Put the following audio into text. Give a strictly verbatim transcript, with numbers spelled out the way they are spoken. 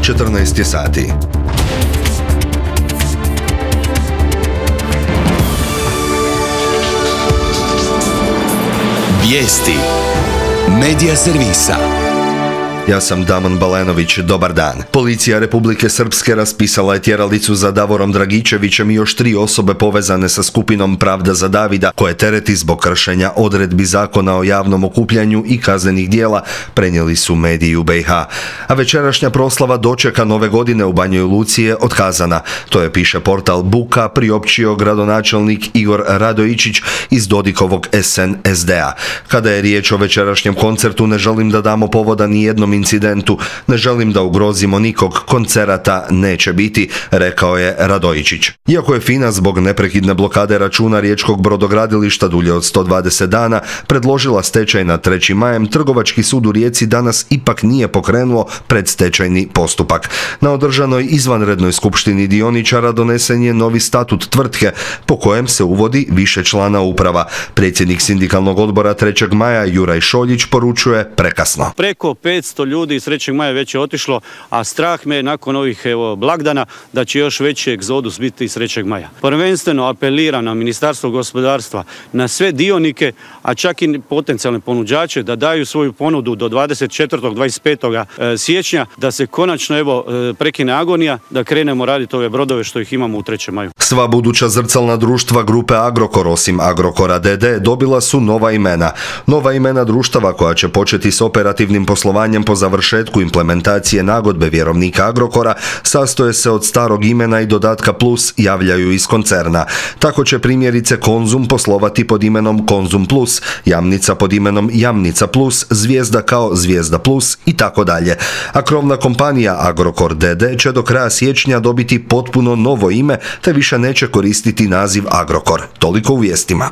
četrnaest je sati. Vijesti Medija servisa. Ja sam Damon Balenović, dobar dan. Policija Republike Srpske raspisala je tjeralicu za Davorom Dragičevićem i još tri osobe povezane sa skupinom Pravda za Davida, koje tereti zbog kršenja odredbi zakona o javnom okupljanju i kaznenih dijela, prenijeli su mediji u B i H. A večerašnja proslava dočeka Nove godine u Banjoj Luci je otkazana. To je, piše portal Buka, priopćio gradonačelnik Igor Radojičić iz Dodikovog S N S D-a. Kada je riječ o večerašnjem koncertu, ne želim da damo povoda ni jednom incidentu, ne želim da ugrozimo nikog, koncerata neće biti, rekao je Radojičić. Iako je FINA zbog neprekidne blokade računa riječkog brodogradilišta dulje od sto dvadeset dana predložila stečaj nad trećim majem, Trgovački sud u Rijeci danas ipak nije pokrenuo predstečajni postupak. Na održanoj izvanrednoj skupštini dioničara donesen je novi statut tvrtke po kojem se uvodi više člana uprava. Predsjednik sindikalnog odbora trećeg maja Juraj Šoljić poručuje prekasno. Preko petsto ljudi iz trećeg maja već je otišlo, a strah me nakon ovih evo, blagdana da će još veći egzodus biti iz trećeg maja. Prvenstveno apeliram na Ministarstvo gospodarstva, na sve dionike, a čak i potencijalne ponuđače da daju svoju ponudu do dvadeset četvrtog do dvadeset petog siječnja, da se konačno evo prekine agonija, da krenemo raditi ove brodove što ih imamo u trećem maju. Sva buduća zrcalna društva grupe Agrokor, osim Agrokora D D, dobila su nova imena. Nova imena društava koja će početi s operativnim poslovanjem po završetku implementacije nagodbe vjerovnika Agrokora sastoje se od starog imena i dodatka plus, javljaju iz koncerna. Tako će primjerice Konzum poslovati pod imenom Konzum Plus, Jamnica pod imenom Jamnica Plus, Zvijezda kao Zvijezda Plus i tako dalje. A krovna kompanija Agrokor D D će do kraja siječnja dobiti potpuno novo ime te više neće koristiti naziv Agrokor. Toliko u vijestima.